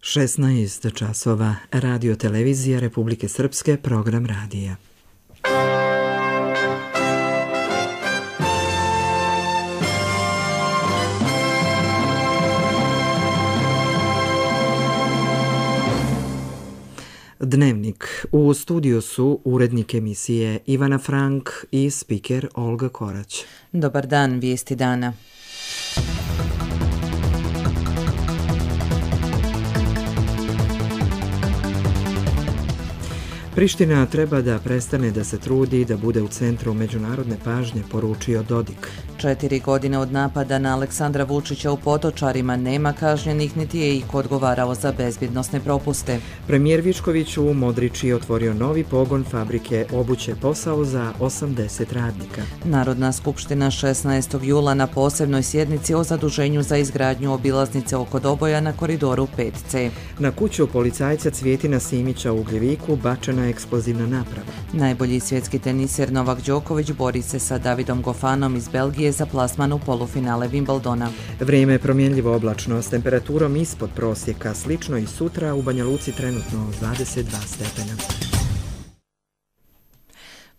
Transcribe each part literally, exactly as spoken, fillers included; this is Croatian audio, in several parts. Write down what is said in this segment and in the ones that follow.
šesnaest časova, Radio televizija Republike Srpske, program radija. Dnevnik. U studiju su urednik emisije Ivana Frank i spiker Olga Korać. Dobar dan, vijesti dana. Priština treba da prestane da se trudi da bude u centru međunarodne pažnje, poručio Dodik. Četiri godine od napada na Aleksandra Vučića u Potočarima nema kažnjenih, niti je iko odgovarao za bezbjednosne propuste. Premijer Vičković u Modriči otvorio novi pogon fabrike obuće, posao za osamdeset radnika. Narodna skupština šesnaestog jula na posebnoj sjednici o zaduženju za izgradnju obilaznice oko Doboja na koridoru pet ce. Na kuću policajca Cvjetina Simića u Ugljeviku bačena eksplozivna naprava. Najbolji svjetski teniser Novak Đoković bori se sa Davidom Gofanom iz Belgije za plasman u polufinale Wimbledona. Vrijeme je promjenljivo oblačno s temperaturom ispod prosjeka, slično i sutra, u Banja Luci trenutno dvadeset dva stepena.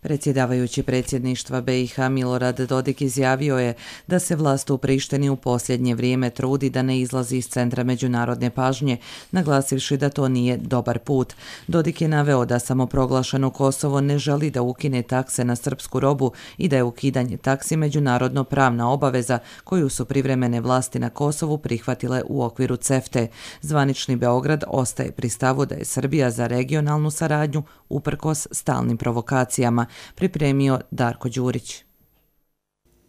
Predsjedavajući predsjedništva be i ha Milorad Dodik izjavio je da se vlast u Prištini u posljednje vrijeme trudi da ne izlazi iz centra međunarodne pažnje, naglasivši da to nije dobar put. Dodik je naveo da samoproglašeno Kosovo ne želi da ukine takse na srpsku robu i da je ukidanje taksi međunarodno pravna obaveza koju su privremene vlasti na Kosovu prihvatile u okviru cefte. Zvanični Beograd ostaje pri stavu da je Srbija za regionalnu saradnju uprkos stalnim provokacijama, pripremio Darko Đurić.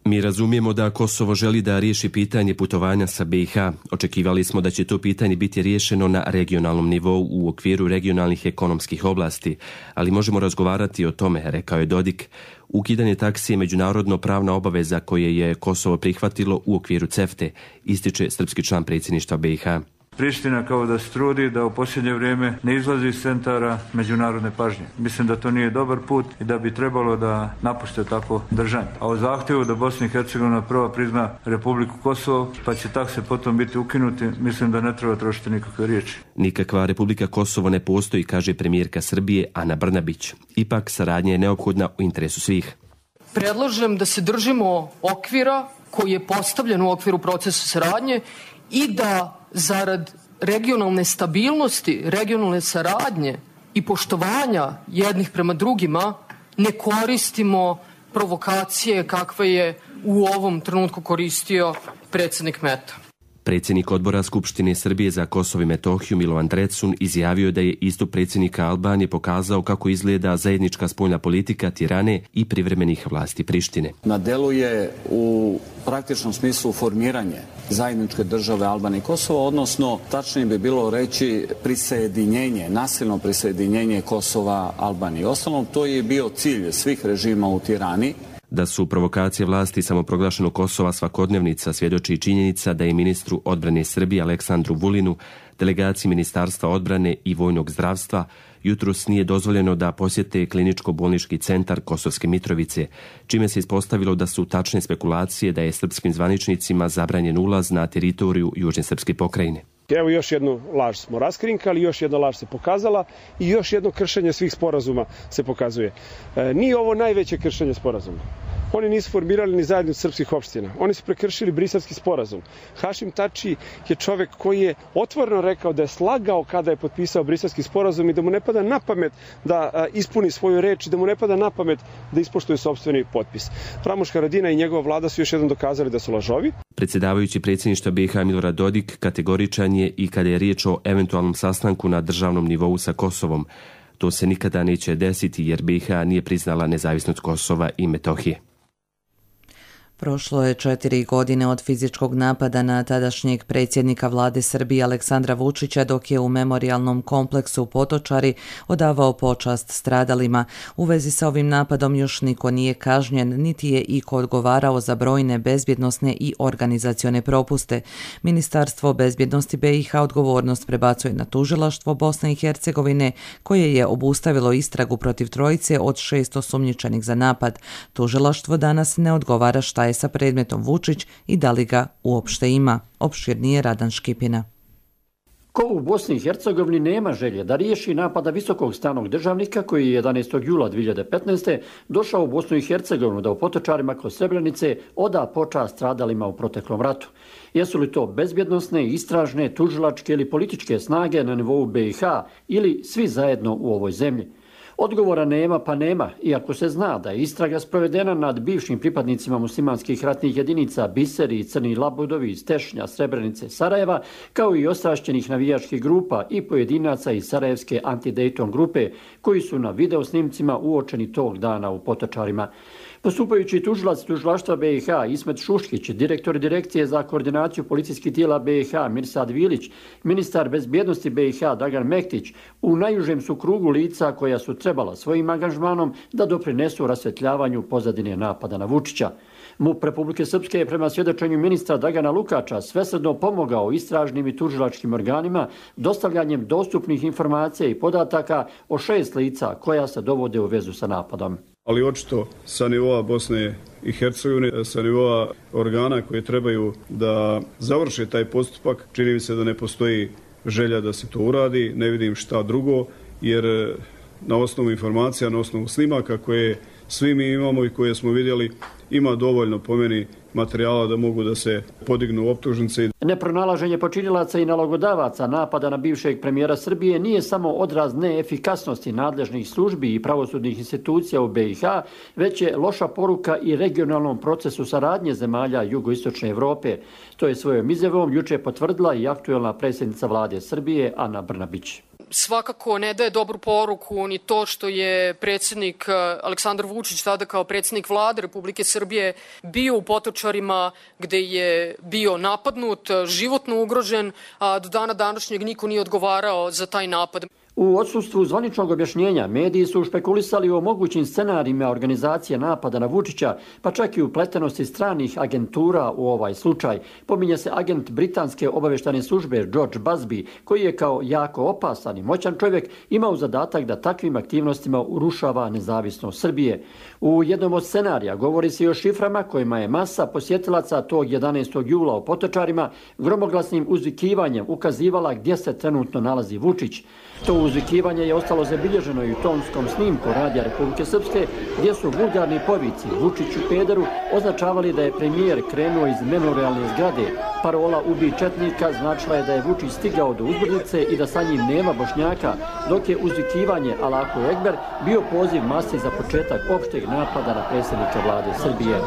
Mi razumijemo da Kosovo želi da riješi pitanje putovanja sa be i ha. Očekivali smo da će to pitanje biti riješeno na regionalnom nivou u okviru regionalnih ekonomskih oblasti, ali možemo razgovarati o tome, rekao je Dodik. Ukidanje taksi je međunarodno pravna obaveza koje je Kosovo prihvatilo u okviru cefte, ističe srpski član predsjedništva be i ha. Priština kao da se trudi da u posljednje vrijeme ne izlazi iz centara međunarodne pažnje. Mislim da to nije dobar put i da bi trebalo da napuste tako držanje. A o zahtjevu da Bosna i Hercegovina prva prizna Republiku Kosovo, pa će takse potom biti ukinuti, mislim da ne treba trošiti nikakve riječi. Nikakva Republika Kosovo ne postoji, kaže premijerka Srbije Ana Brnabić. Ipak saradnja je neophodna u interesu svih. Predlažem da se držimo okvira koji je postavljen u okviru procesa saradnje i da zarad regionalne stabilnosti, regionalne saradnje i poštovanja jednih prema drugima ne koristimo provokacije kakve je u ovom trenutku koristio predsjednik Meta. Predsjednik odbora Skupštine Srbije za Kosovo i Metohiju Milovan Drecun izjavio je da je istup predsjednika Albanije pokazao kako izgleda zajednička spoljna politika Tirane i privremenih vlasti Prištine. Na delu je u praktičnom smislu formiranje zajedničke države Albanije i Kosova, odnosno tačnije bi bilo reći prisjedinjenje, nasilno prisjedinjenje Kosova Albanije. Ostalom, to je bio cilj svih režima u Tirani. Da su provokacije vlasti samoproglašenog Kosova svakodnevnica svjedoči i činjenica da je ministru odbrane Srbije Aleksandru Vulinu, delegaciji Ministarstva odbrane i vojnog zdravstva, jutros nije dozvoljeno da posjete kliničko-bolnički centar Kosovske Mitrovice, čime se ispostavilo da su tačne spekulacije da je srpskim zvaničnicima zabranjen ulaz na teritoriju Južne srpske pokrajine. Evo još jednu laž smo raskrinkali, još jedna laž se pokazala i još jedno kršenje svih sporazuma se pokazuje. E, nije ovo najveće kršenje sporazuma. Oni nisu formirali ni zajednicu srpskih opština. Oni su prekršili Briselski sporazum. Hašim Tači je čovjek koji je otvoreno rekao da je slagao kada je potpisao Briselski sporazum i da mu ne pada na pamet da a, ispuni svoju reč i da mu ne pada na pamet da ispoštuje sopstveni potpis. Ramuš Haradina i njegova vlada su još jednom dokazali da su lažovi. Predsjedavajući predsjedništva be i ha Milorad Dodik kategoričan je i kada je riječ o eventualnom sastanku na državnom nivou sa Kosovom. To se nikada neće desiti jer be i ha nije priznala nezavisnost Kosova i Metohije. Prošlo je četiri godine od fizičkog napada na tadašnjeg predsjednika vlade Srbije Aleksandra Vučića dok je u memorijalnom kompleksu Potočari odavao počast stradalima. U vezi sa ovim napadom još niko nije kažnjen, niti je iko odgovarao za brojne bezbjednosne i organizacione propuste. Ministarstvo bezbjednosti be i ha odgovornost prebacuje na tužilaštvo Bosne i Hercegovine koje je obustavilo istragu protiv trojice od šest osumnjičenih za napad. Tužilaštvo danas ne odgovara šta je sa predmetom Vučić i da li ga uopšte ima. Opširnije Radan Škipina. Ko u Bosni i Hercegovini nema želje da riješi napada visokog stranog državnika koji je jedanaestog jula dvije hiljade petnaeste. došao u Bosnu i Hercegovinu da u Potočarima kod Srebrenice oda počast stradalima u proteklom ratu. Jesu li to bezbjednosne, istražne, tužilačke ili političke snage na nivou B i H ili svi zajedno u ovoj zemlji? Odgovora nema pa nema, iako se zna da je istraga sprovedena nad bivšim pripadnicima muslimanskih ratnih jedinica Biseri i Crni Labudovi iz Tešnja, Srebrenice, Sarajeva, kao i ostrašćenih navijačkih grupa i pojedinaca iz Sarajevske anti-Dayton grupe, koji su na videosnimcima uočeni tog dana u Potočarima. Postupajući tužilac tužilaštva B i H Ismet Šuškić, direktor direkcije za koordinaciju policijskih tijela B i H Mirsad Vilić, ministar bezbjednosti B i H Dragan Mektić, u najužem su krugu lica koja su trebala svojim angažmanom da doprinesu rasvjetljavanju pozadine napada na Vučića. MUP Republike Srpske je prema svjedočenju ministra Dragana Lukača svesrdno pomogao istražnim i tužilačkim organima dostavljanjem dostupnih informacija i podataka o šest lica koja se dovode u vezu sa napadom. Ali očito sa nivoa Bosne i Hercegovine, sa nivoa organa koje trebaju da završe taj postupak, čini mi se da ne postoji želja da se to uradi, ne vidim šta drugo, jer na osnovu informacija, na osnovu snimaka koje svi mi imamo i koje smo vidjeli, ima dovoljno po meni materijala da mogu da se podignu optužnice. Nepronalaženje počinilaca i nalogodavaca napada na bivšeg premijera Srbije nije samo odraz neefikasnosti nadležnih službi i pravosudnih institucija u B i H, već je loša poruka i regionalnom procesu saradnje zemalja jugoistočne Evrope. To je svojom izjavom juče potvrdila i aktuelna predsjednica vlade Srbije Ana Brnabić. Svakako ne daje dobru poruku ni to što je predsjednik Aleksandar Vučić tada kao predsjednik vlade Republike Srbije bio u Potočarima gde je bio napadnut, životno ugrožen, a do dana današnjeg niko nije odgovarao za taj napad. U odsustvu zvaničnog objašnjenja mediji su špekulisali o mogućim scenarijima organizacije napada na Vučića, pa čak i upletenosti stranih agentura u ovaj slučaj. Pominje se agent britanske obavještajne službe George Busby, koji je kao jako opasan i moćan čovjek imao zadatak da takvim aktivnostima urušava nezavisnost Srbije. U jednom od scenarija govori se i o šiframa kojima je masa posjetilaca tog jedanaestog jula u Potočarima gromoglasnim uzvikivanjem ukazivala gdje se trenutno nalazi Vučić. To uzvikivanje je ostalo zabilježeno i u tonskom snimku Radija Republike Srpske, gdje su vulgarni povici Vučiću pederu označavali da je premijer krenuo iz memorialne zgrade. Parola "Ubij četnika" značila je da je Vučić stigao do uzbrdice i da sa njim nema Bošnjaka, dok je uzvikivanje Allahu Ekber bio poziv masi za početak opšteg napada na predsjednika vlade Srbije.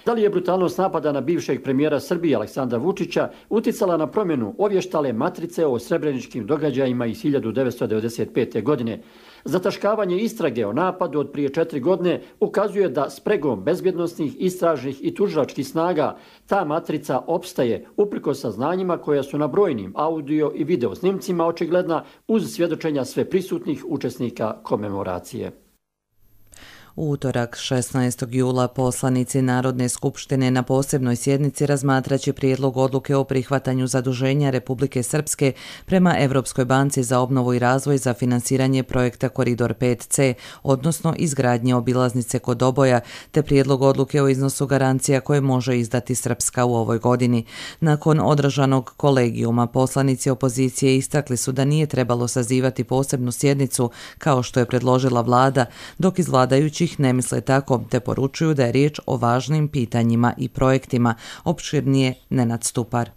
Da li je brutalnost napada na bivšeg premijera Srbije Aleksandra Vučića uticala na promjenu ovještale matrice o srebreničkim događajima iz hiljadu devetsto devedeset pete. godine? Zataškavanje istrage o napadu od prije četiri godine ukazuje da spregom bezbjednosnih, istražnih i tužilačkih snaga ta matrica opstaje uprkos saznanjima koja su na brojnim audio i video snimcima očigledna uz svjedočenja sve prisutnih učesnika komemoracije. U utorak šesnaestog jula poslanici Narodne skupštine na posebnoj sjednici razmatraće prijedlog odluke o prihvatanju zaduženja Republike Srpske prema Evropskoj banci za obnovu i razvoj za finansiranje projekta Koridor pet C, odnosno izgradnje obilaznice kod Doboja, te prijedlog odluke o iznosu garancija koje može izdati Srpska u ovoj godini. Nakon održanog kolegijuma poslanici opozicije istakli su da nije trebalo sazivati posebnu sjednicu kao što je predložila vlada, dok iz vladajućih ne misle tako, te poručuju da je riječ o važnim pitanjima i projektima. Opširnije Nenad Stupar.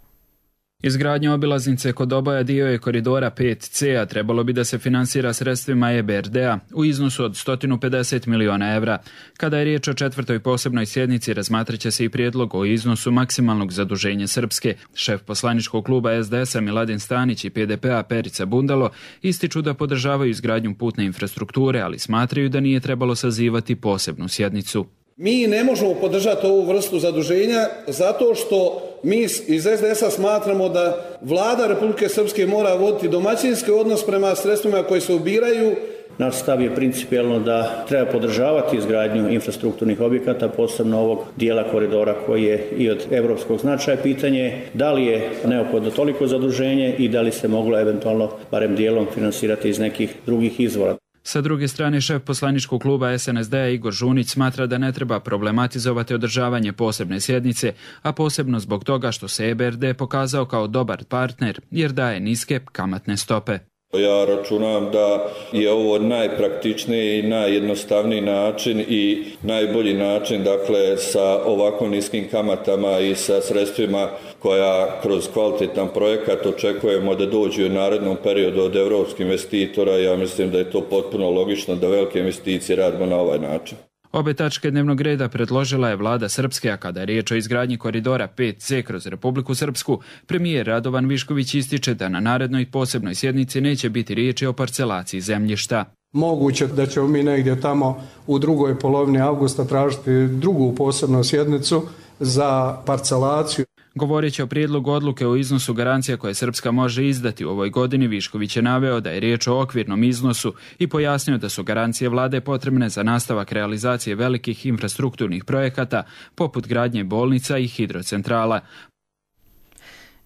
Izgradnja obilaznice kod Doboja dio je koridora pet C, a trebalo bi da se finansira sredstvima E B R D-a u iznosu od sto pedeset miliona evra. Kada je riječ o četvrtoj posebnoj sjednici, razmatraće se i prijedlog o iznosu maksimalnog zaduženja Srpske. Šef poslaničkog kluba S D S-a Miladin Stanić i P D P-a Perica Bundalo ističu da podržavaju izgradnju putne infrastrukture, ali smatraju da nije trebalo sazivati posebnu sjednicu. Mi ne možemo podržati ovu vrstu zaduženja zato što mi iz S D S-a smatramo da vlada Republike Srpske mora voditi domaćinski odnos prema sredstvima koje se ubiraju. Naš stav je principijelno da treba podržavati izgradnju infrastrukturnih objekata, posebno ovog dijela koridora koji je i od evropskog značaja. Pitanje da li je neophodno toliko zaduženje i da li se moglo eventualno barem dijelom finansirati iz nekih drugih izvora. Sa druge strane, šef poslaničkog kluba S N S D-a Igor Žunić smatra da ne treba problematizovati održavanje posebne sjednice, a posebno zbog toga što se E B R D pokazao kao dobar partner jer daje niske kamatne stope. Ja računam da je ovo najpraktičniji i najjednostavniji način i najbolji način, dakle, sa ovako niskim kamatama i sa sredstvima koja kroz kvalitetan projekat očekujemo da dođu u narednom periodu od europskih investitora. Ja mislim da je to potpuno logično da velike investicije radimo na ovaj način. Obe tačke dnevnog reda predložila je vlada Srpske, a kada je riječ o izgradnji koridora pet C kroz Republiku Srpsku, premijer Radovan Višković ističe da na narednoj posebnoj sjednici neće biti riječi o parcelaciji zemljišta. Moguće da ćemo mi negdje tamo u drugoj polovini avgusta tražiti drugu posebnu sjednicu za parcelaciju. Govoreći o prijedlogu odluke o iznosu garancija koje Srpska može izdati u ovoj godini, Višković je naveo da je riječ o okvirnom iznosu i pojasnio da su garancije vlade potrebne za nastavak realizacije velikih infrastrukturnih projekata poput gradnje bolnica i hidrocentrala.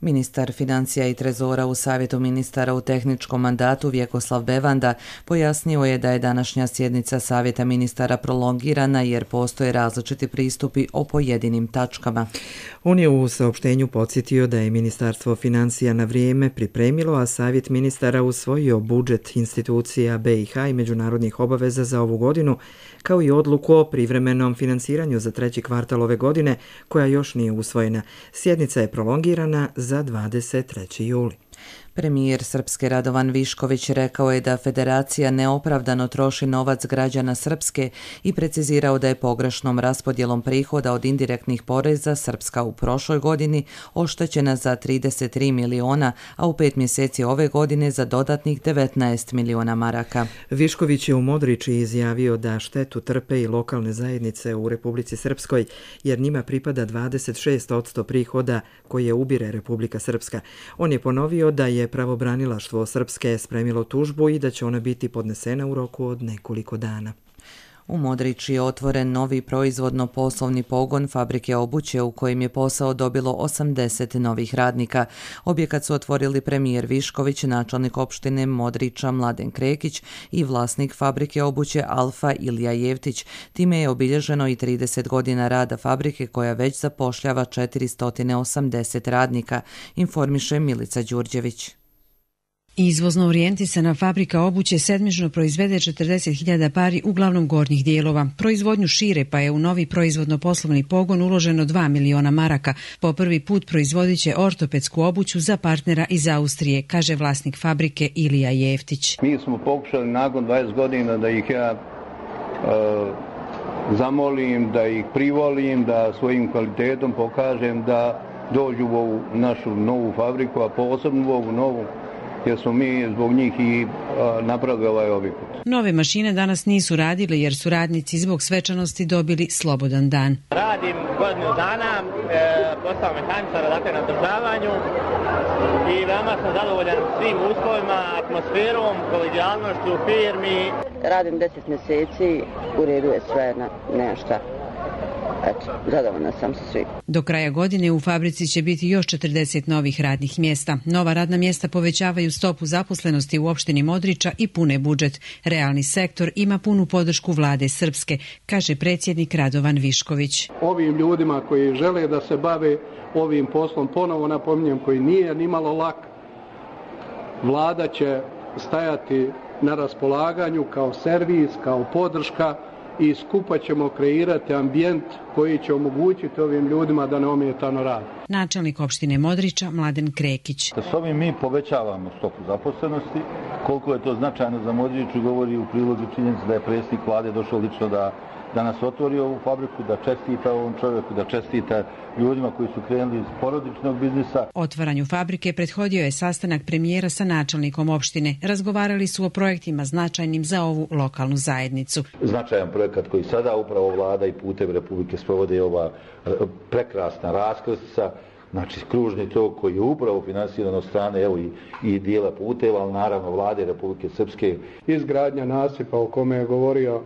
Ministar financija i trezora u Savjetu ministara u tehničkom mandatu Vjekoslav Bevanda pojasnio je da je današnja sjednica Savjeta ministara prolongirana jer postoje različiti pristupi o pojedinim tačkama. On je u saopštenju podsjetio da je Ministarstvo financija na vrijeme pripremilo, a Savjet ministara usvojio budžet institucija B i H i međunarodnih obaveza za ovu godinu, kao i odluku o privremenom finansiranju za treći kvartal ove godine, koja još nije usvojena. Sjednica je prolongirana za dvadeset treći juli. Premijer Srpske Radovan Višković rekao je da federacija neopravdano troši novac građana Srpske i precizirao da je pogrešnom raspodjelom prihoda od indirektnih poreza Srpska u prošloj godini oštećena za trideset tri miliona, a u pet mjeseci ove godine za dodatnih devetnaest miliona maraka. Višković je u Modriči izjavio da štetu trpe i lokalne zajednice u Republici Srpskoj, jer njima pripada dvadeset šest posto prihoda koje ubire Republika Srpska. On je ponovio da je pravobranilaštvo Srpske spremilo tužbu i da će ona biti podnesena u roku od nekoliko dana. U Modriči je otvoren novi proizvodno-poslovni pogon fabrike obuće u kojem je posao dobilo osamdeset novih radnika. Objekat su otvorili premijer Višković, načelnik opštine Modriča Mladen Krekić i vlasnik fabrike obuće Alfa Ilija Jevtić. Time je obilježeno i trideset godina rada fabrike koja već zapošljava četiristo osamdeset radnika, informiše Milica Đurđević. Izvozno orijentisana fabrika obuće sedmično proizvede četrdeset hiljada pari uglavnom gornjih dijelova. Proizvodnju šire pa je u novi proizvodno-poslovni pogon uloženo dva miliona maraka. Po prvi put proizvodit će ortopedsku obuću za partnera iz Austrije, kaže vlasnik fabrike Ilija Jeftić. Mi smo pokušali nakon dvadeset godina da ih ja uh, zamolim, da ih privolim, da svojim kvalitetom pokažem da dođu u ovu našu novu fabriku, a posebno u ovu novu, jer smo mi zbog njih i a, napravili ovaj objekat. Nove mašine danas nisu radile jer su radnici zbog svečanosti dobili slobodan dan. Radim godinu dana, e, posao mehaničara, dakle na održavanju i veoma sam zadovoljan svim uslovima, atmosferom, kolegijalnošću u firmi. Radim deset mjeseci, u redu je sve, nema šta. Eto, zadovoljna sam sa svim. Do kraja godine u fabrici će biti još četrdeset novih radnih mjesta. Nova radna mjesta povećavaju stopu zaposlenosti u opštini Modriča i pune budžet. Realni sektor ima punu podršku vlade Srpske, kaže predsjednik Radovan Višković. Ovim ljudima koji žele da se bave ovim poslom, ponovo napominjem, koji nije nimalo lak, vlada će stajati na raspolaganju kao servis, kao podrška, i skupa ćemo kreirati ambijent koji će omogućiti ovim ljudima da neometano rade. Načelnik opštine Modriča Mladen Krekić. S ovim mi povećavamo stopu zaposlenosti. Koliko je to značajno za Modriču govori u prilogu činjenica da je predsjednik vlade došao lično da danas otvori ovu fabriku, da čestita ovom čovjeku, da čestita ljudima koji su krenuli iz porodičnog biznisa. Otvaranju fabrike prethodio je sastanak premijera sa načelnikom opštine. Razgovarali su o projektima značajnim za ovu lokalnu zajednicu. Značajan projekat koji sada upravo vlada i putem Republike sprovode ova prekrasna raskrsnica, znači kružni tok koji je upravo finansiran od strane evo i, i dijela puteva, ali naravno vlade Republike Srpske. Izgradnja nasipa o kome je govorio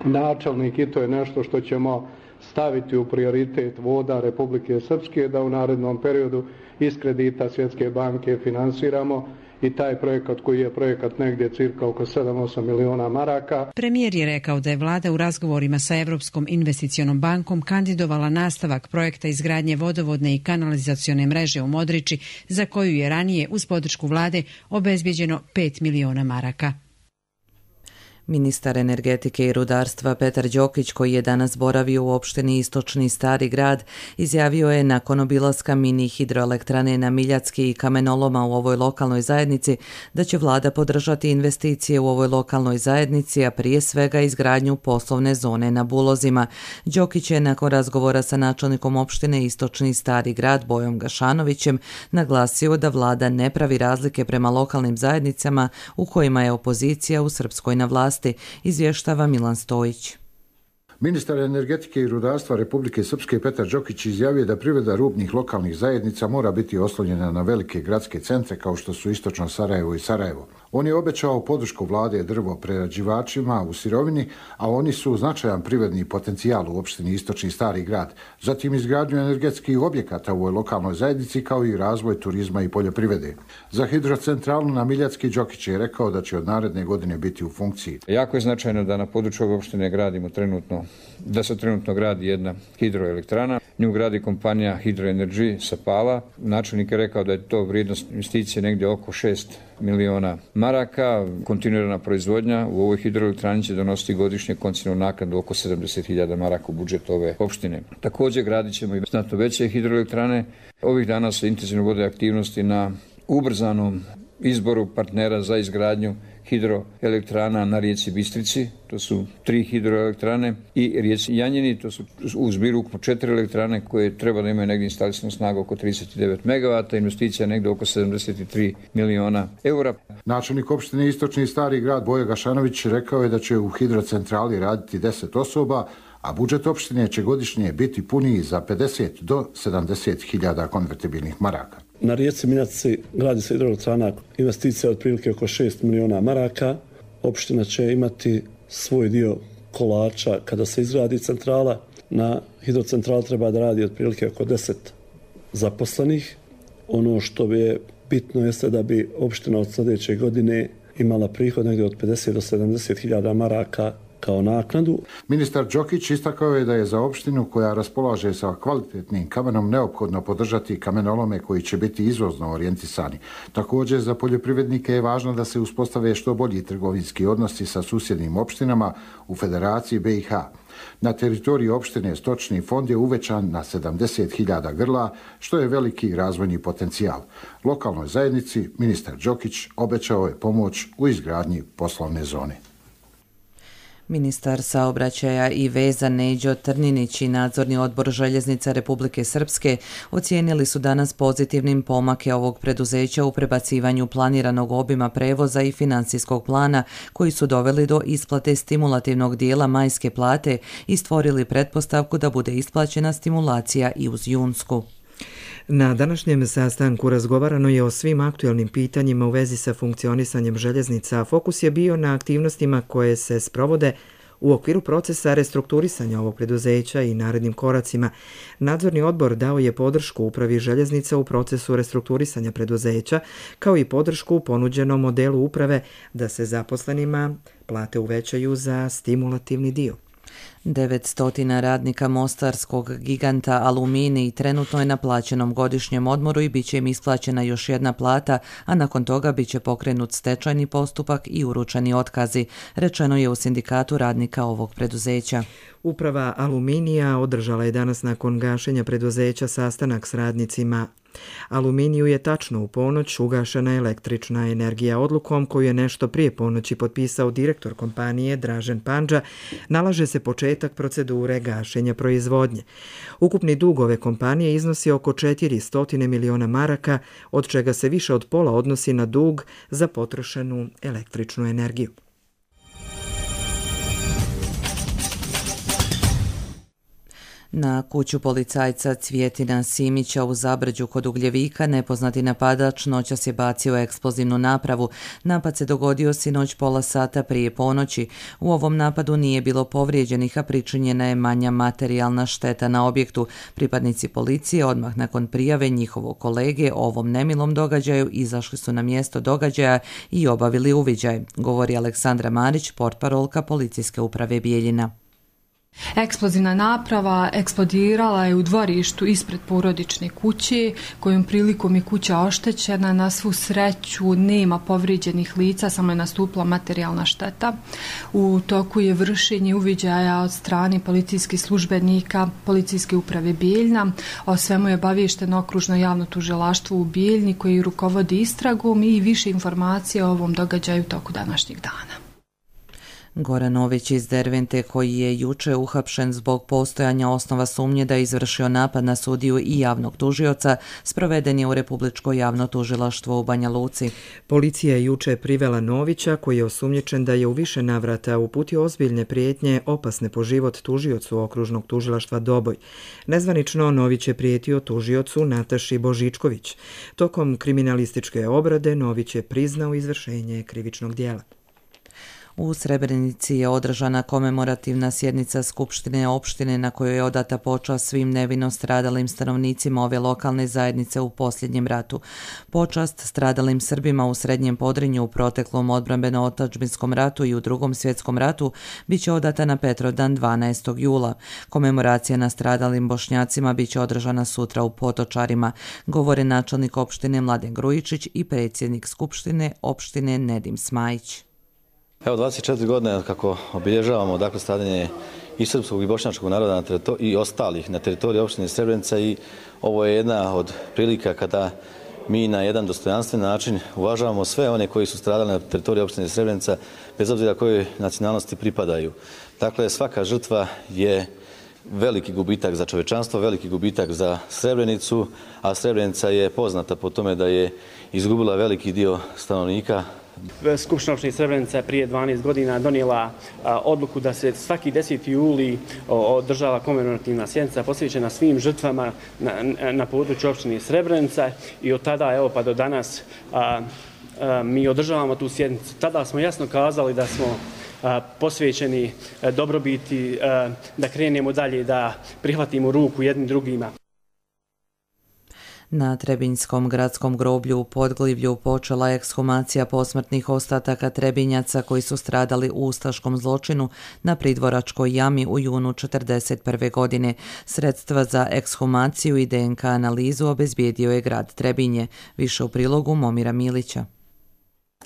načelnik, i to je nešto što ćemo staviti u prioritet voda Republike Srpske, da u narednom periodu iz kredita Svjetske banke finansiramo i taj projekat koji je projekat negdje cirka oko sedam do osam miliona maraka. Premijer je rekao da je vlada u razgovorima sa Europskom investicionom bankom kandidovala nastavak projekta izgradnje vodovodne i kanalizacione mreže u Modriči, za koju je ranije uz podršku vlade obezbijeđeno pet miliona maraka. Ministar energetike i rudarstva Petar Đokić, koji je danas boravio u opštini Istočni Stari Grad, izjavio je nakon obilaska mini hidroelektrane na Miljacki i kamenoloma u ovoj lokalnoj zajednici da će vlada podržati investicije u ovoj lokalnoj zajednici, a prije svega izgradnju poslovne zone na Bulozima. Đokić je nakon razgovora sa načelnikom opštine Istočni Stari Grad Bojom Gašanovićem naglasio da vlada ne pravi razlike prema lokalnim zajednicama u kojima je opozicija u Srpskoj na vlasti, izvještava Milan Stojić. Ministar energetike i rudarstva Republike Srpske Petar Đokić izjavio da privreda rubnih lokalnih zajednica mora biti oslonjena na velike gradske centre kao što su Istočno Sarajevo i Sarajevo. On je obećao podršku vlade drvo prerađivačima u sirovini, a oni su značajan privredni potencijal u opštini Istočni Stari Grad. Zatim izgradnju energetskih objekata u ovoj lokalnoj zajednici kao i razvoj turizma i poljoprivrede. Za hidrocentralu na Miljacki Đokić je rekao da će od naredne godine biti u funkciji. Jako je značajno da na području ove opštine gradimo trenutno, da se trenutno gradi jedna hidroelektrana. Nju gradi kompanija Hydroenergy sa Pala. Načelnik je rekao da je to vrijednost investicije negdje oko šest miliona maraka. Kontinuirana proizvodnja u ovoj hidroelektrani će donositi godišnje koncesijnu naknadu oko sedamdeset hiljada maraka u budžet ove opštine. Također gradit ćemo i znatno veće hidroelektrane. Ovih dana se intenzivno vode aktivnosti na ubrzanom izboru partnera za izgradnju hidroelektrana na rijeci Bistrici, to su tri hidroelektrane, i rijeci Janjini, to su u zbiru ukupno četiri elektrane koje treba da imaju negdje instalisanu snagu oko trideset devet megavata, investicija negdje oko sedamdeset tri miliona eura. Načelnik opštine Istočni Stari Grad Bojo Gašanović rekao je da će u hidrocentrali raditi deset osoba, a budžet opštine će godišnje biti puniji za pedeset do sedamdeset hiljada konvertibilnih maraka. Na rijeci Miljaci gradi se hidroelektrana, investicija od prilike oko šest miliona maraka. Opština će imati svoj dio kolača kada se izgradi centrala. Na hidrocentrali treba da radi od prilike oko deset zaposlenih. Ono što je bitno jeste da bi opština od sljedeće godine imala prihod negdje od pedeset do sedamdeset hiljada maraka kao naknadu. Ministar Đokić istakao je da je za opštinu koja raspolaže sa kvalitetnim kamenom neophodno podržati kamenolome koji će biti izvozno orijentisani. Također za poljoprivrednike je važno da se uspostave što bolji trgovinski odnosi sa susjednim opštinama u Federaciji B i H. Na teritoriji opštine stočni fond je uvećan na sedamdeset hiljada grla, što je veliki razvojni potencijal. Lokalnoj zajednici ministar Đokić obećao je pomoć u izgradnji poslovne zone. Ministar saobraćaja i veza Neđo Trninić i nadzorni odbor Željeznica Republike Srpske ocijenili su danas pozitivnim pomake ovog preduzeća u prebacivanju planiranog obima prevoza i financijskog plana koji su doveli do isplate stimulativnog dijela majske plate i stvorili pretpostavku da bude isplaćena stimulacija i uz junsku. Na današnjem sastanku razgovarano je o svim aktualnim pitanjima u vezi sa funkcionisanjem željeznica, a fokus je bio na aktivnostima koje se sprovode u okviru procesa restrukturisanja ovog preduzeća i narednim koracima. Nadzorni odbor dao je podršku upravi željeznica u procesu restrukturisanja preduzeća, kao i podršku u ponuđenom modelu uprave da se zaposlenima plate uvećaju za stimulativni dio. devetsto radnika mostarskog giganta Aluminij trenutno je na plaćenom godišnjem odmoru i bit će im isplaćena još jedna plata, a nakon toga bit će pokrenut stečajni postupak i uručeni otkazi, rečeno je u sindikatu radnika ovog preduzeća. Uprava Aluminija održala je danas nakon gašenja preduzeća sastanak s radnicima. Aluminiju je tačno u ponoć ugašena električna energija. Odlukom koju je nešto prije ponoći potpisao direktor kompanije Dražen Pandža, nalaže se početak procedure gašenja proizvodnje. Ukupni dug ove kompanije iznosi oko četiristo miliona maraka, od čega se više od pola odnosi na dug za potrošenu električnu energiju. Na kuću policajca Cvjetina Simića u Zabrđu kod Ugljevika nepoznati napadač noćas je bacio eksplozivnu napravu. Napad se dogodio sinoć pola sata prije ponoći. U ovom napadu nije bilo povrijeđenih, a pričinjena je manja materijalna šteta na objektu. Pripadnici policije odmah nakon prijave njihovog kolege o ovom nemilom događaju izašli su na mjesto događaja i obavili uviđaj, govori Aleksandra Marić, portparolka Policijske uprave Bijeljina. Eksplozivna naprava eksplodirala je u dvorištu ispred porodične kuće, kojom prilikom je kuća oštećena. Na svu sreću nema povrijeđenih lica, samo je nastupila materijalna šteta. U toku je vršenje uviđaja od strane policijskih službenika Policijske uprave Bijeljina. O svemu je obaviješteno okružno javno tužilaštvo u Bijeljini koji rukovodi istragom i više informacija o ovom događaju u toku današnjeg dana. Goran Ović iz Dervente, koji je juče uhapšen zbog postojanja osnova sumnje da je izvršio napad na sudiju i javnog tužioca, sproveden je u Republičko javno tužilaštvo u Banja Luci. Policija je juče privela Novića, koji je osumnjičen da je u više navrata uputio ozbiljne prijetnje opasne po život tužiocu okružnog tužilaštva Doboj. Nezvanično Nović je prijetio tužiocu Nataši Božičković. Tokom kriminalističke obrade Nović je priznao izvršenje krivičnog dijela. U Srebrenici je održana komemorativna sjednica Skupštine opštine na kojoj je odata počast svim nevino stradalim stanovnicima ove lokalne zajednice u posljednjem ratu. Počast stradalim Srbima u Srednjem Podrinju u proteklom odbrambeno-otadžbinskom ratu i u Drugom svjetskom ratu bit će odata na Petrovdan dvanaestog jula. Komemoracija na stradalim Bošnjacima bit će održana sutra u Potočarima, govore načelnik opštine Mladen Grujičić i predsjednik Skupštine opštine Nedim Smajić. Evo dvadeset četiri godine kako obilježavamo dakle stradanje i srpskog i bošnjačkog naroda na i ostalih na teritoriji opštine Srebrenica i ovo je jedna od prilika kada mi na jedan dostojanstven način uvažavamo sve one koji su stradali na teritoriji opštine Srebrenica bez obzira kojoj nacionalnosti pripadaju. Dakle, svaka žrtva je veliki gubitak za čovečanstvo, veliki gubitak za Srebrenicu, a Srebrenica je poznata po tome da je izgubila veliki dio stanovnika. Skupština opštine Srebrenica je prije dvanaest godina donijela odluku da se svaki deseti juli održava komemorativna sjednica posvećena svim žrtvama na, na području opštine Srebrenica i od tada evo pa do danas a, a, mi održavamo tu sjednicu. Tada smo jasno kazali da smo a, posvećeni a, dobrobiti, a, da krenemo dalje, da prihvatimo ruku jednim drugima. Na Trebinjskom gradskom groblju u Podglivlju počela je ekshumacija posmrtnih ostataka Trebinjaca koji su stradali u ustaškom zločinu na Pridvoračkoj jami u junu četrdeset prve. godine. Sredstva za ekshumaciju i D N K analizu obezbijedio je grad Trebinje. Više u prilogu Momira Milića.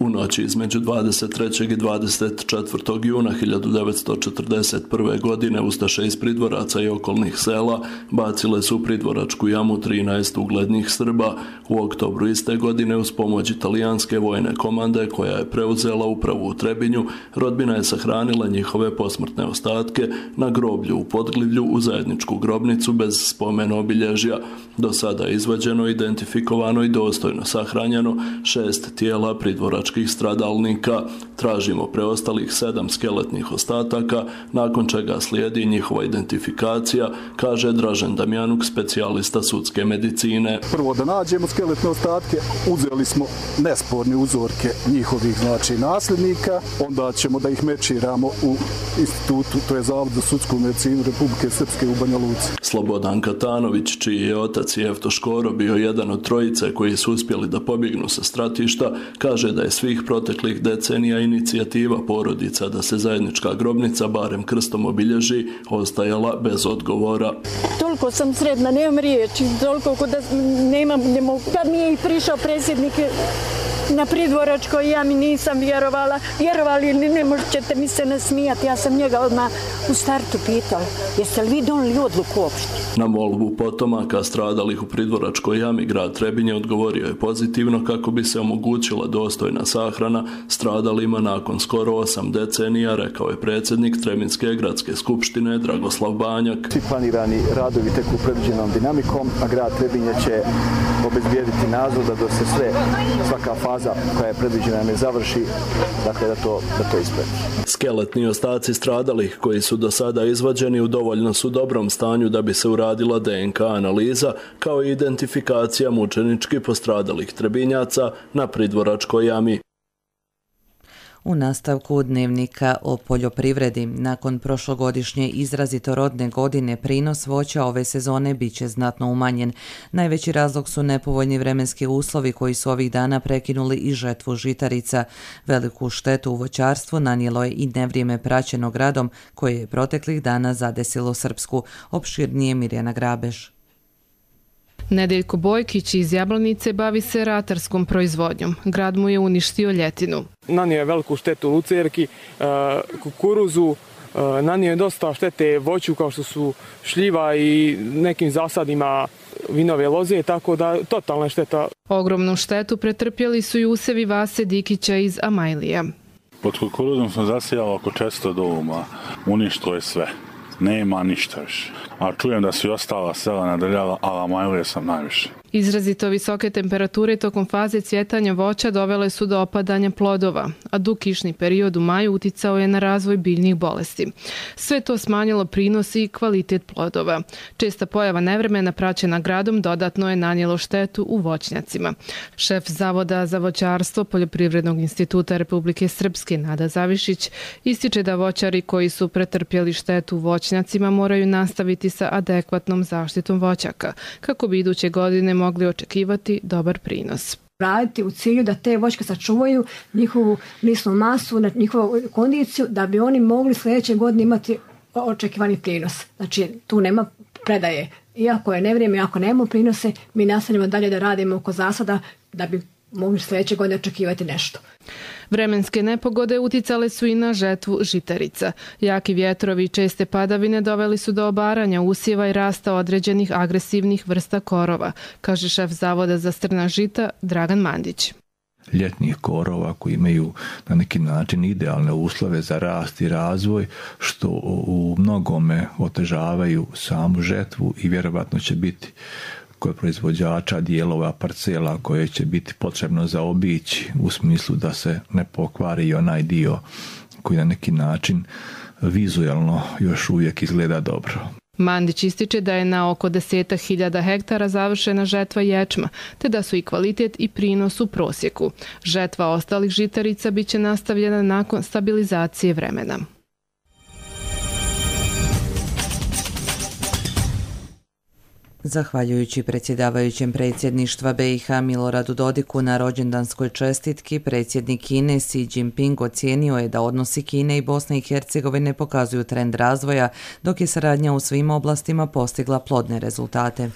U noći između dvadeset trećeg i dvadeset četvrtog juna hiljadu devetsto četrdeset prve. godine ustaše iz Pridvoraca i okolnih sela bacile su u Pridvoračku jamu trinaest uglednih Srba. U oktobru iste godine uz pomoć italijanske vojne komande koja je preuzela upravu u Trebinju, rodbina je sahranila njihove posmrtne ostatke na groblju u Podglivlju u zajedničku grobnicu bez spomen obilježja. Do sada je izvađeno, identifikovano i dostojno sahranjeno šest tijela Pridvoračkih stradalnika. Tražimo preostalih sedam skeletnih ostataka, nakon čega slijedi njihova identifikacija, kaže Dražen Damjanuk, specijalista sudske medicine. Prvo da nađemo skeletne ostatke, uzeli smo nesporne uzorke njihovih znači nasljednika, onda ćemo da ih mečiramo u institutu, to je Zavod za sudsku medicinu Republike Srpske u Banja Luci. Slobodan Katanović, čiji je otac Jefto Škoro bio jedan od trojice koji su uspjeli da pobjegnu sa stratišta, kaže da je svih proteklih decenija inicijativa porodica da se zajednička grobnica barem krstom obilježi ostajala bez odgovora. Toliko sam sretna, nemam riječi, toliko da nemam, ne mogu. Kad mi je i prišao predsjednik na Pridvoračkoj jami, nisam vjerovala. Vjerovali ili ne možete mi se ne smijati. Ja sam njega odmah u startu pitala, jeste li vi donijeli odluku uopšte? Na molbu potomaka stradalih u Pridvoračkoj jami grad Trebinje odgovorio je pozitivno kako bi se omogućila dostojna sahrana stradalima nakon skoro osam decenija, rekao je predsjednik Trebinjske gradske skupštine Dragoslav Banjak. Svi planirani radovi teku predviđenom dinamikom, a grad Trebinje će obezbijediti nadzor da do se sve svaka faza faza koja je predviđena ne završi, dakle da to, da to ispredi. Skeletni ostaci stradalih koji su do sada izvađeni u dovoljno su dobrom stanju da bi se uradila D N K analiza kao i identifikacija mučenički postradalih Trebinjaca na Pridvoračkoj jami. U nastavku dnevnika o poljoprivredi, nakon prošlogodišnje izrazito rodne godine, prinos voća ove sezone bit će znatno umanjen. Najveći razlog su nepovoljni vremenski uslovi koji su ovih dana prekinuli i žetvu žitarica. Veliku štetu u voćarstvu nanijelo je i nevrijeme praćeno gradom koje je proteklih dana zadesilo Srpsku. Opširnije Mirjana Grabež. Nedeljko Bojkić iz Jablanice bavi se ratarskom proizvodnjom. Grad mu je uništio ljetinu. Nanio je veliku štetu lucerki, kukuruzu, nanio je dosta štete voću kao što su šljiva i nekim zasadima vinove loze, tako da totalna šteta. Ogromnu štetu pretrpjeli su i usevi Vase Dikića iz Amajlija. Pod kukuruzom sam zasijao oko četiristo doma, uništilo je sve. Nema ništa više. A čujem da su i ostala sela nadrljala, ali Amajlije sam najviše. Izrazito visoke temperature tokom faze cvjetanja voća dovele su do opadanja plodova, a dug kišni period u maju uticao je na razvoj biljnih bolesti. Sve to smanjilo prinos i kvalitet plodova. Česta pojava nevremena praćena gradom dodatno je nanijelo štetu u voćnjacima. Šef Zavoda za voćarstvo Poljoprivrednog instituta Republike Srpske Nada Zavišić ističe da voćari koji su pretrpjeli štetu u voćnjacima moraju nastaviti sa adekvatnom zaštitom voćaka, kako bi iduće godine mogli očekivati dobar prinos. Raditi u cilju da te voćke sačuvaju njihovu lisnu masu, njihovu kondiciju, da bi oni mogli sljedeće godine imati očekivani prinos. Znači, tu nema predaje. Iako je nevrijeme, ako nemamo prinose, mi nastavljamo dalje da radimo oko zasada da bi mogli sljedeće godine očekivati nešto. Vremenske nepogode uticale su i na žetvu žitarica. Jaki vjetrovi i česte padavine doveli su do obaranja usjeva i rasta određenih agresivnih vrsta korova, kaže šef Zavoda za strna žita Dragan Mandić. Ljetnih korova koji imaju na neki način idealne uslove za rast i razvoj, što u mnogome otežavaju samu žetvu i vjerovatno će biti kod proizvođača dijelova parcela koje će biti potrebno zaobići u smislu da se ne pokvari onaj dio koji na neki način vizualno još uvijek izgleda dobro. Mandić ističe da je na oko desetak hiljada hektara završena žetva ječma, te da su i kvalitet i prinos u prosjeku. Žetva ostalih žitarica bit će nastavljena nakon stabilizacije vremena. Zahvaljujući predsjedavajućem predsjedništva B i H Miloradu Dodiku na rođendanskoj čestitki, predsjednik Kine Xi Jinping ocijenio je da odnosi Kine i Bosne i Hercegovine pokazuju trend razvoja, dok je saradnja u svim oblastima postigla plodne rezultate.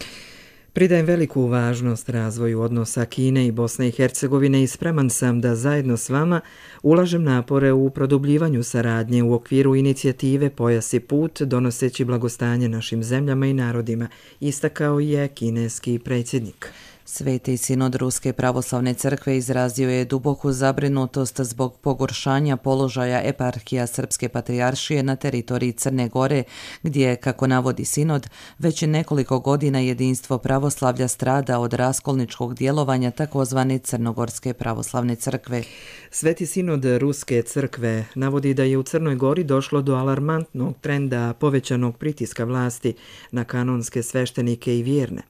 Pridajem veliku važnost razvoju odnosa Kine i Bosne i Hercegovine i spreman sam da zajedno s vama ulažem napore u produbljivanju saradnje u okviru inicijative Pojas i put, donoseći blagostanje našim zemljama i narodima, istakao je kineski predsjednik. Sveti sinod Ruske pravoslavne crkve izrazio je duboku zabrinutost zbog pogoršanja položaja eparhija Srpske patrijaršije na teritoriji Crne Gore, gdje, kako navodi sinod, već nekoliko godina jedinstvo pravoslavlja strada od raskolničkog djelovanja takozvane Crnogorske pravoslavne crkve. Sveti sinod Ruske crkve navodi da je u Crnoj Gori došlo do alarmantnog trenda povećanog pritiska vlasti na kanonske sveštenike i vjerne.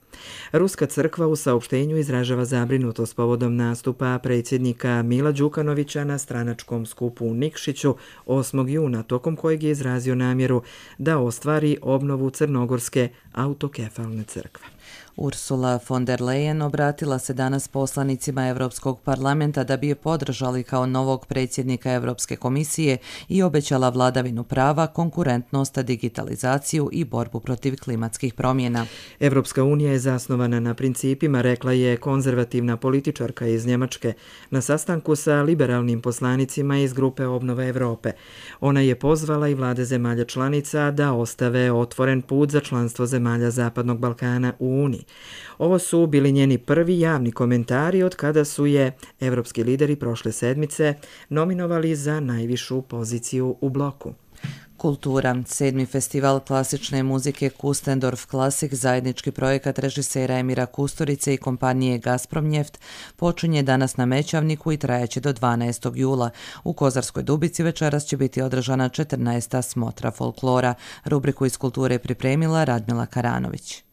Ruska crkva u saopštenju izražava zabrinutost povodom nastupa predsjednika Mila Đukanovića na stranačkom skupu u Nikšiću osmog juna, tokom kojeg je izrazio namjeru da ostvari obnovu Crnogorske autokefalne crkve. Ursula von der Leyen obratila se danas poslanicima Europskog parlamenta da bi je podržali kao novog predsjednika Europske komisije i obećala vladavinu prava, konkurentnost, digitalizaciju i borbu protiv klimatskih promjena. Europska unija je zasnovana na principima, rekla je konzervativna političarka iz Njemačke na sastanku sa liberalnim poslanicima iz grupe Obnova Europe. Ona je pozvala i vlade zemalja članica da ostave otvoren put za članstvo zemalja Zapadnog Balkana u Uniji. Ovo su bili njeni prvi javni komentari od kada su je evropski lideri prošle sedmice nominovali za najvišu poziciju u bloku. Kultura. Sedmi festival klasične muzike Kustendorf Klasik, zajednički projekat režisera Emira Kusturice i kompanije Gazpromnjeft, počinje danas na Mećavniku i trajaće do dvanaestog jula. U Kozarskoj Dubici večeras će biti održana četrnaesta smotra folklora. Rubriku iz kulture pripremila Radmila Karanović.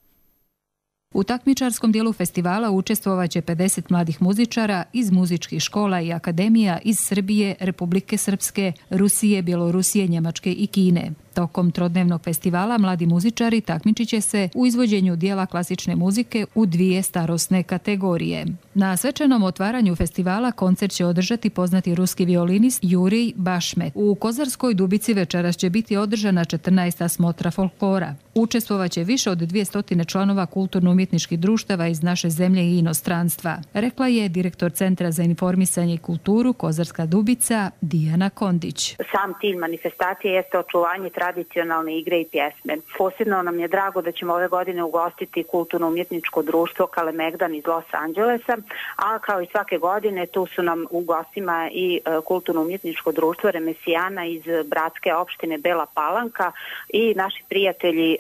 U takmičarskom dijelu festivala učestvovaće pedeset mladih muzičara iz muzičkih škola i akademija iz Srbije, Republike Srpske, Rusije, Bjelorusije, Njemačke i Kine. Tokom trodnevnog festivala mladi muzičari takmičit će se u izvođenju dijela klasične muzike u dvije starosne kategorije. Na svečanom otvaranju festivala koncert će održati poznati ruski violinist Jurij Bašmet. U Kozarskoj Dubici večeras će biti održana četrnaesta smotra folklora. Učestvovaće više od dvjesto članova kulturno-umjetničkih društava iz naše zemlje i inostranstva, rekla je direktor Centra za informisanje i kulturu Kozarska Dubica Dijana Kondić. Sam cilj manifestacije jeste očuvanje tradicionalne igre i pjesme. Posebno nam je drago da ćemo ove godine ugostiti kulturno-umjetničko društvo Kalemegdan iz Los Angelesa, a kao i svake godine tu su nam u gostima i kulturno-umjetničko društvo Remesijana iz bratske opštine Bela Palanka i naši prijatelji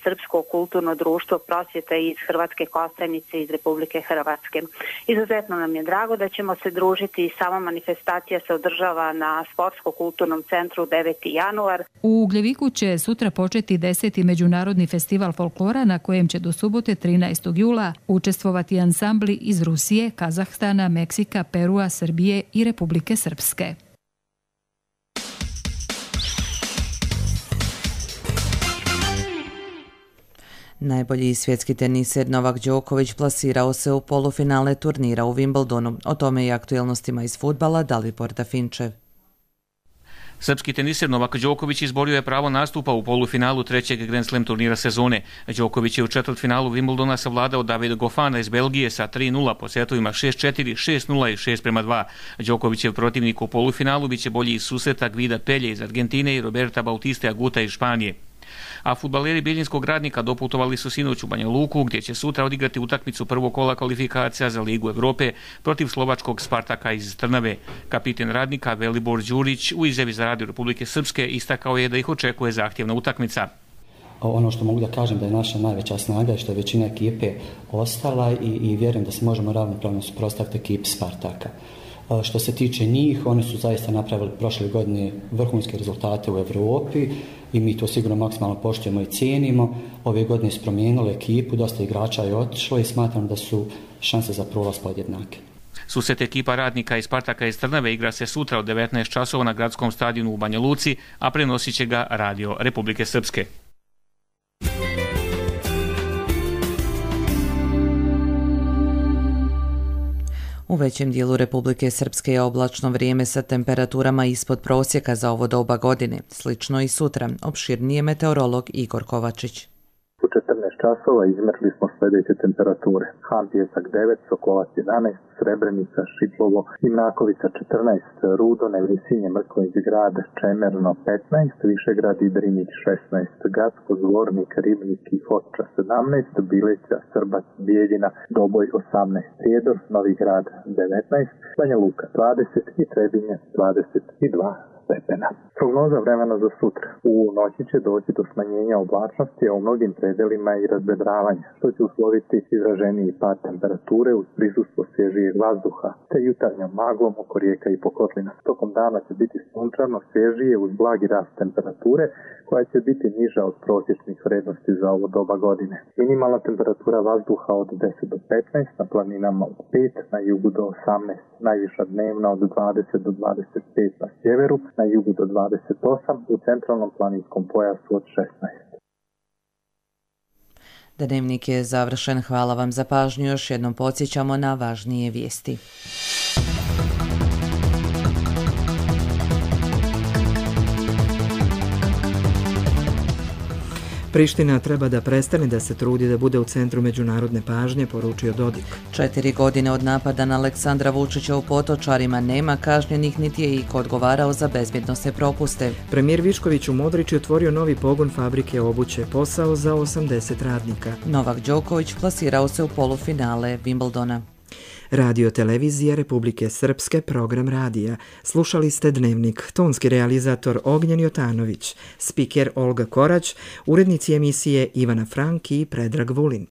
Srpsko kulturno društvo Prosvjeta iz Hrvatske Kostajnice iz Republike Hrvatske. Izuzetno nam je drago da ćemo se družiti i sama manifestacija se održava na Sportsko-kulturnom centru deveti januar. U Ugljeviku će sutra početi deseti međunarodni festival folklora na kojem će do subote trinaestog jula učestvovati ansambli iz Rusije, Kazahstana, Meksika, Perua, Srbije i Republike Srpske. Najbolji svjetski teniser Novak Đoković plasirao se u polufinale turnira u Wimbledonu. O tome i aktualnostima iz fudbala Dalibor Dafinčev. Srpski teniser Novak Đoković izborio je pravo nastupa u polufinalu trećeg Grand Slam turnira sezone. Đoković je u četvrtfinalu Wimbledona savladao Davida Goffana iz Belgije sa tri nula po setovima šest četiri, šest nula i šest prema dva. Đokovićev protivnik u polufinalu biće bolji iz susreta Gvida Pelje iz Argentine i Roberta Bautiste Aguta iz Španije. A fudbaleri Bijeljinskog Radnika doputovali su sinoć u Banja Luku, gdje će sutra odigrati utakmicu prvog kola kvalifikacija za Ligu Evrope protiv slovačkog Spartaka iz Trnave. Kapiten Radnika Velibor Đurić u izjavi za Radio Republike Srpske istakao je da ih očekuje zahtjevna utakmica. Ono što mogu da kažem da je naša najveća snaga je što je većina ekipe ostala i, i vjerujem da se možemo ravnopravno suprotstaviti ekipi Spartaka. Što se tiče njih, oni su zaista napravili prošle godine vrhunske rezultate u Evropi i mi to sigurno maksimalno poštujemo i cijenimo. Ove godine su promijenili ekipu, dosta igrača je otišlo i smatram da su šanse za prolaz podjednake. Susret ekipa Radnika i Spartaka iz Trnave igra se sutra od devetnaest časova na gradskom stadionu u Banja Luci, a prenosit će ga Radio Republike Srpske. U većem dijelu Republike Srpske je oblačno vrijeme sa temperaturama ispod prosjeka za ovo doba godine. Slično i sutra. Opširnije meteorolog Igor Kovačić. U četrnaest časova izmjerili smo sljedeće temperature. Han Pijesak devet, Sokolac jedanaest, Srebrenica, Šipovo i Mrakovica četrnaest, Rudo, Nevrisinje, Mrkonić grad, Čemerno petnaest, Višegrad i Drinić šesnaest, Gacko, Zvornik, Ribnik i Foča sedamnaest, Bileća, Srbac, Bijeljina, Doboj osamnaest, Prijedor, Novi grad devetnaest, Banja Luka dvadeset i Trebinje dvadeset dva stepena. Prognoza vremena za sutra. U noći će doći do smanjenja oblačnosti, a u mnogim predelima i razvedravanja, što će usloviti izraženiji pad temperature uz prisustvo svježijeg vazduha, te jutarnjom maglom oko rijeka i pokotlina. Tokom dana će biti sunčano, svježije uz blagi rast temperature, koja će biti niža od prosječnih vrednosti za ovo doba godine. Minimalna temperatura vazduha od deset do petnaest, na planinama od pet, na jugu do osamnaest, najviša dnevna od dvadeset do dvadeset pet na sjeveru, na jugu do dvadeset osam, u centralnom planinskom pojasu od šesnaest. Dnevnik je završen. Hvala vam za pažnju. Još jednom podsjećamo na važnije vijesti. Priština treba da prestane da se trudi da bude u centru međunarodne pažnje, poručio Dodik. Četiri godine od napada na Aleksandra Vučića u Potočarima nema kažnjenih, niti je iko odgovarao za bezbjednosne propuste. Premijer Višković u Modriči otvorio novi pogon fabrike obuće, posao za osamdeset radnika. Novak Đoković plasirao se u polufinale Wimbledona. Radio Televizija Republike Srpske, program radija. Slušali ste Dnevnik, tonski realizator Ognjen Jotanović, spiker Olga Korać, urednici emisije Ivana Frank i Predrag Vulin.